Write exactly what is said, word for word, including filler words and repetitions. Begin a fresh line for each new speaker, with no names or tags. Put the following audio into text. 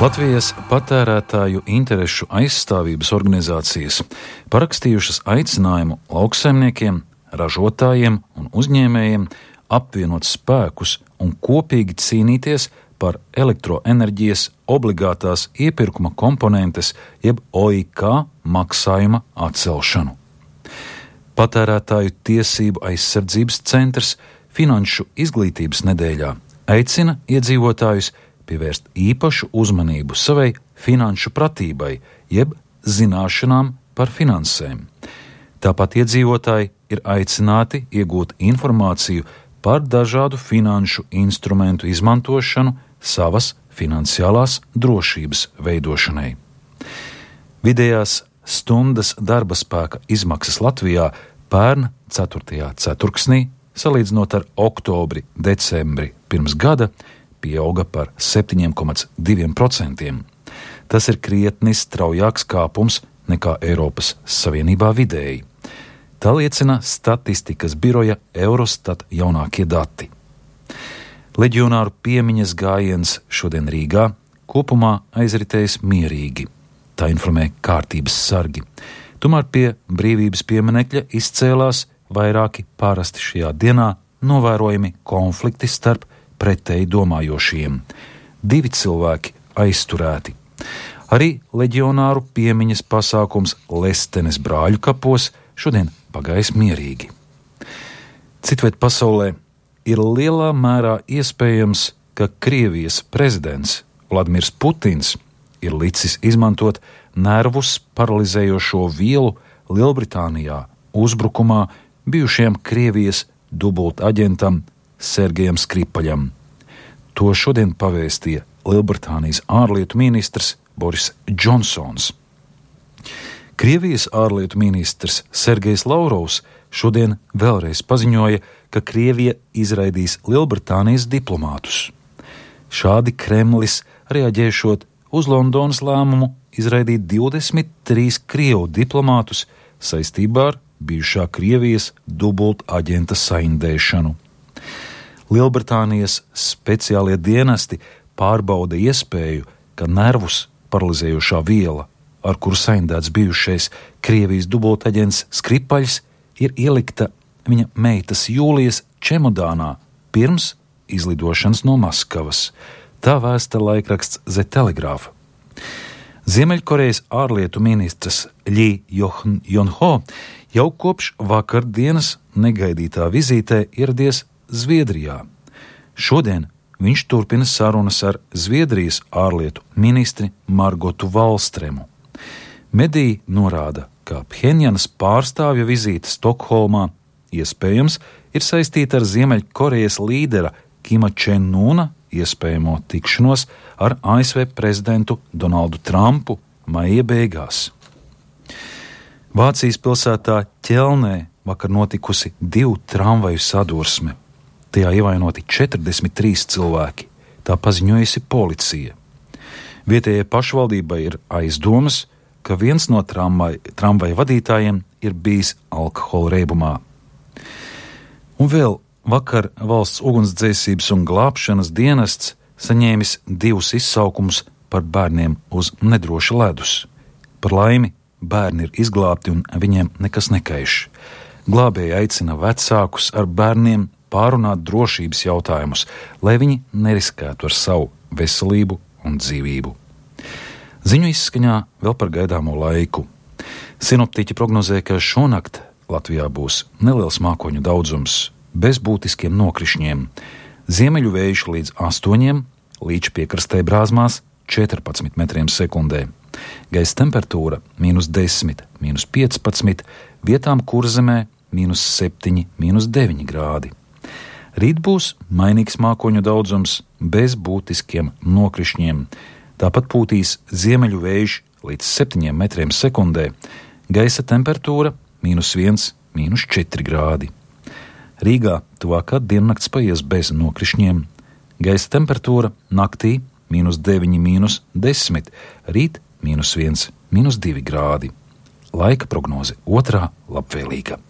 Latvijas patērētāju interešu aizstāvības organizācijas parakstījušas aicinājumu lauksaimniekiem, ražotājiem un uzņēmējiem apvienot spēkus un kopīgi cīnīties par elektroenerģijas obligātās iepirkuma komponentes jeb O I K maksājuma atcelšanu. Patērētāju tiesību aizsardzības centrs Finanšu izglītības nedēļā aicina iedzīvotājus pievērst īpašu uzmanību savai finanšu pratībai, jeb zināšanām par finansēm. Tāpat iedzīvotāji ir aicināti iegūt informāciju par dažādu finanšu instrumentu izmantošanu savas finansiālās drošības veidošanai. Vidējās stundas darba spēka izmaksas Latvijā pērn ceturtajā ceturksnī, salīdzinot ar oktobri, decembri pirms gada, pieauga par septiņi komats divi procenti. Tas ir krietni straujāks kāpums nekā Eiropas Savienībā vidēji. Tā liecina statistikas biroja Eurostat jaunākie dati. Leģionāru piemiņas gājiens šodien Rīgā kopumā aizritējis mierīgi. Tā informē kārtības sargi. Tomēr pie brīvības pieminekļa izcēlās vairāki parasti šajā dienā novērojami konflikti starp pretēji domājošiem. Divi cilvēki aizturēti. Arī leģionāru piemiņas pasākums Lestenes brāļu kapos šodien pagājis mierīgi. Citviet pasaulē ir lielā mērā iespējams, ka Krievijas prezidents Vladimirs Putins ir licis izmantot nervus paralizējošo vielu Lielbritānijā uzbrukumā bijušajam Krievijas dubultaģentam Sergejam Skripaļam. To šodien pavēstīja Lielbritānijas ārlietu ministrs Boris Džonsons. Krievijas ārlietu ministrs Sergejs Lavrovs šodien vēlreiz paziņoja, ka Krievija izraidīs Lielbritānijas diplomātus. Šādi Kremlis reaģēšot uz Londonas lēmumu izraidīt divdesmit trīs Krievu diplomātus saistībā ar bijušā Krievijas dubultaģenta saindēšanu. Lielbritānijas speciālie dienesti pārbauda iespēju, ka nervus paralizējošā viela, ar kuru saindēts bijušais Krievijas dubultaģents Skripaļs, ir ielikta viņa meitas Jūlijas čemodānā pirms izlidošanas no Maskavas. Tā vēsta laikraksts The Telegraph. Ziemeļkorejas ārlietu ministrs Ļi Jonho jau kopš vakardienas negaidītā vizītē ieradies Zviedrijā. Šodien viņš turpina sarunas ar Zviedrijas ārlietu ministri Margotu Valstremu. Mediji norāda, ka Phenjanas pārstāvja vizīte Stokholmā iespējams ir saistīta ar Ziemeļkorejas līdera Kima Čen-una iespējamo tikšanos ar A S V prezidentu Donaldu Trumpu maija beigās. Vācijas pilsētā Ķelnē vakar notikusi divu tramvaju sadursme. Tajā ievainoti četrdesmit trīs cilvēki, tā paziņojusi policija. Vietējai pašvaldībai ir aizdomas, ka viens no tramvaj, tramvaja vadītājiem ir bijis alkohola reibumā. Un vēl vakar valsts ugunsdzēsības un glābšanas dienests saņēmis divus izsaukumus par bērniem uz nedroša ledus. Par laimi bērni ir izglābti un viņiem nekas nekaiš. Glābēji aicina vecākus ar bērniem pārunāt drošības jautājumus, lai viņi neriskētu ar savu veselību un dzīvību. Ziņu izskaņā vēl par gaidāmo laiku. Sinoptiķi prognozē, ka šonakt Latvijā būs neliels mākoņu daudzums, bez būtiskiem nokrišņiem. Ziemeļu vējš līdz astoņiem, līdz piekrastē brāzmās četrpadsmit metriem sekundē. Gaisa temperatūra mīnus desmit, mīnus piecpadsmit, vietām Kurzemē mīnus septiņi, mīnus deviņi grādi. Rīt būs mainīgs mākoņu daudzums bez būtiskiem nokrišņiem. Tāpat pūtīs ziemeļu vējš līdz septiņiem metriem sekundē. Gaisa temperatūra mīnus viens, mīnus četri grādi. Rīgā tuvākā diennakts paies bez nokrišņiem. Gaisa temperatūra naktī mīnus deviņi, mīnus desmit, rīt mīnus viens, mīnus divi grādi. Laika prognoze otrā labvēlīga.